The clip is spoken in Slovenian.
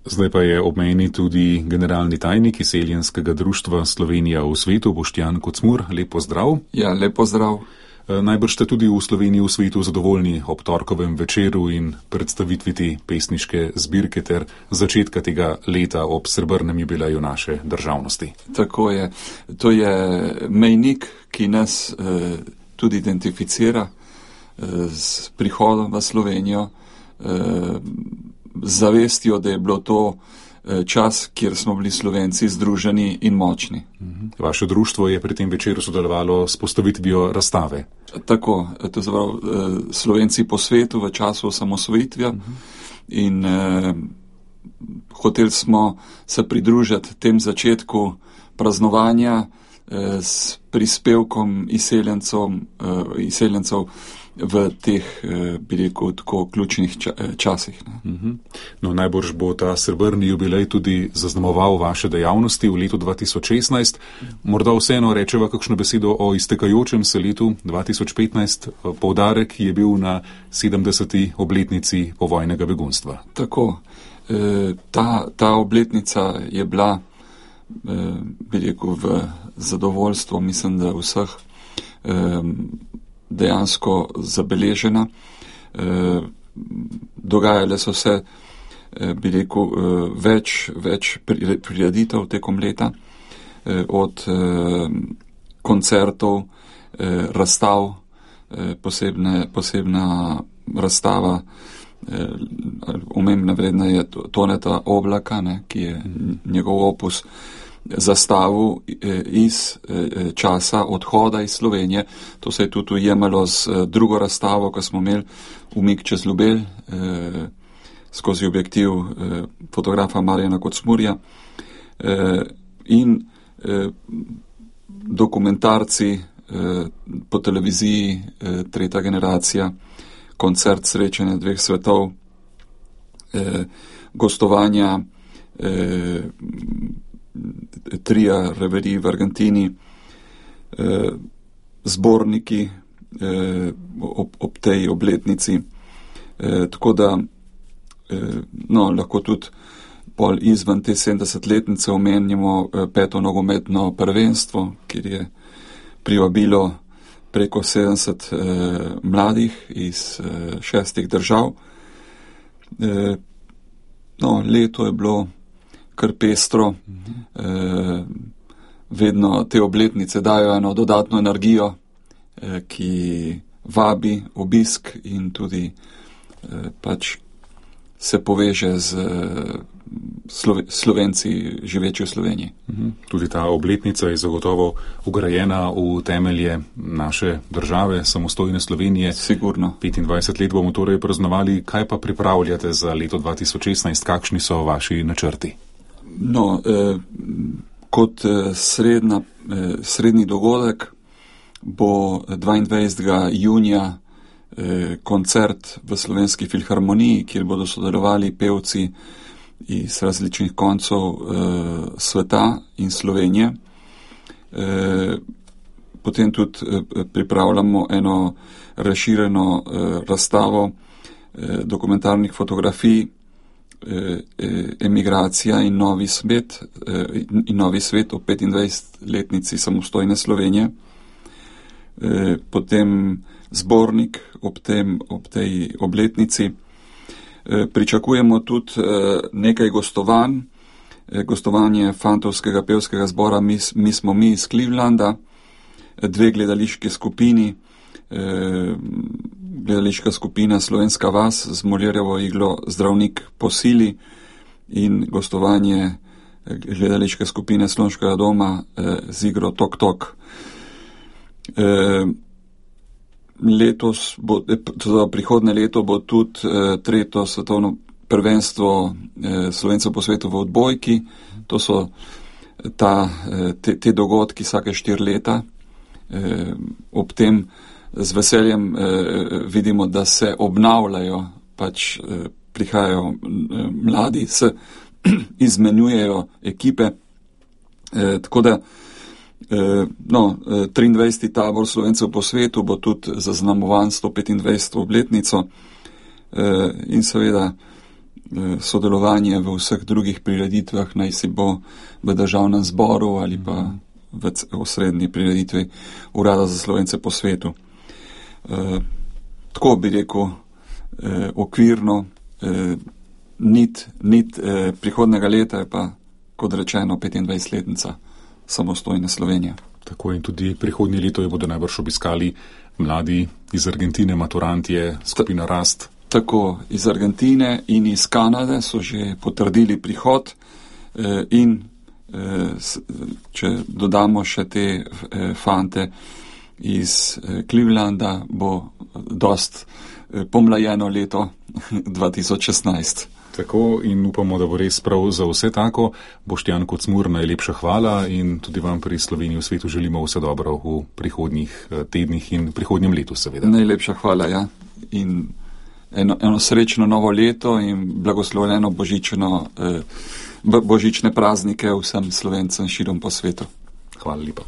Zdaj pa je ob meni tudi generalni tajnik Izseljenskega društva Slovenija v svetu, Boštjan Kocmur. Lep pozdrav. Ja, lep pozdrav. Najbrž ste tudi v Sloveniji v svetu zadovoljni ob torkovem večeru in predstavitvi te pesniške zbirke ter začetka tega leta ob srebrnem jubileju naše državnosti. Tako je. To je mejnik, ki nas tudi identificira s prihodom v Slovenijo, z zavestjo, da je bilo to čas, kjer smo bili Slovenci združeni in močni. Vaše društvo je pri tem večeru sodelovalo s postavitvijo razstave. Tako, to je Slovenci po svetu v času osamosvojitve in hoteli smo se pridružiti tem začetku praznovanja s prispevkom izseljencev v teh, bi rekel, tako ključnih časih. No, najbrž bo ta srebrni jubilej tudi zaznamoval vaše dejavnosti v letu 2016. Morda vseeno rečeva kakšno besedo o iztekajočem se letu 2015. Poudarek je bil na 70. obletnici povojnega begunstva. Tako, ta obletnica je bila, bi rekel, v zadovoljstvo, mislim, da vseh dejansko zabeležena. Dogajale so se, bi rekel, več prireditev tekom leta, od koncertov, razstav, posebna razstava, omembna vredna je Toneta Oblaka, ki je njegov opus zastavil iz časa odhoda iz Slovenije. To se je tudi ujemalo z drugo razstavo, ko smo imeli Umik čez Ljubelj skozi objektiv fotografa Marjana Kocmurja in dokumentarci po televiziji Tretja generacija, koncert srečanja dveh svetov, gostovanja tria reverij v Argentini, zborniki ob tej obletnici. Tako da lahko tudi pol izven te 70-letnice omenjamo 5. nogometno prvenstvo, kjer je privabilo preko 70 mladih iz 6 držav. Leto je bilo kar pestro, vedno te obletnice dajo eno dodatno energijo, ki vabi obisk in tudi pač se poveže z Slovenci živeči v Sloveniji. Tudi ta obletnica je zagotovo ugrajena v temelje naše države, samostojne Slovenije. Sigurno. 25 let bomo torej praznovali. Kaj pa pripravljate za leto 2016? Kakšni so vaši načrti? Kot srednji dogodek bo 22. junija koncert v Slovenski filharmoniji, kjer bodo sodelovali pevci iz različnih koncev sveta in Slovenije. Potem tudi pripravljamo eno razširjeno razstavo dokumentarnih fotografij Emigracija in novi svet o 25-letnici samostojne Slovenije. Potem zbornik ob tej obletnici. Pričakujemo tudi nekaj gostovanj. Gostovanje fantovskega pevskega zbora Mi smo mi iz Clevelanda, 2 gledališki skupini, gledališka skupina Slovenska vas z Molirjevo iglo Zdravnik po sili in gostovanje gledališke skupine Slonškega doma z igro Tok Tok. Prihodne leto bo tudi 3. svetovno prvenstvo Slovencev po svetu v odbojki. To so te dogodki vsake 4 leta. Ob tem z veseljem vidimo, da se obnavljajo, pač prihajajo mladi, se izmenjujejo ekipe. Tako da 23. tabor Slovencev po svetu bo tudi zaznamovan 125. obletnico in seveda sodelovanje v vseh drugih prireditvah, naj si bo v državnem zboru ali pa v osrednji prireditvi Urada za Slovence po svetu. Tako bi rekel, okvirno, nit prihodnega leta je pa, kot rečeno, 25-letnica samostojne Slovenije. Tako in tudi prihodnje leto jo bodo najbrž obiskali mladi iz Argentine, maturantje, skupina Rast. Tako, iz Argentine in iz Kanade so že potrdili prihod in če dodamo še te fante iz Clevelanda, bo dost pomlajeno leto 2016. Tako in upamo, da bo res prav za vse tako. Boštjan Kocmur, najlepša hvala in tudi vam pri Sloveniji v svetu želimo vse dobro v prihodnjih tednih in prihodnjem letu seveda. Najlepša hvala, ja. In eno srečno novo leto in blagoslovljeno božične praznike vsem Slovencem širom po svetu. Hvala lepa.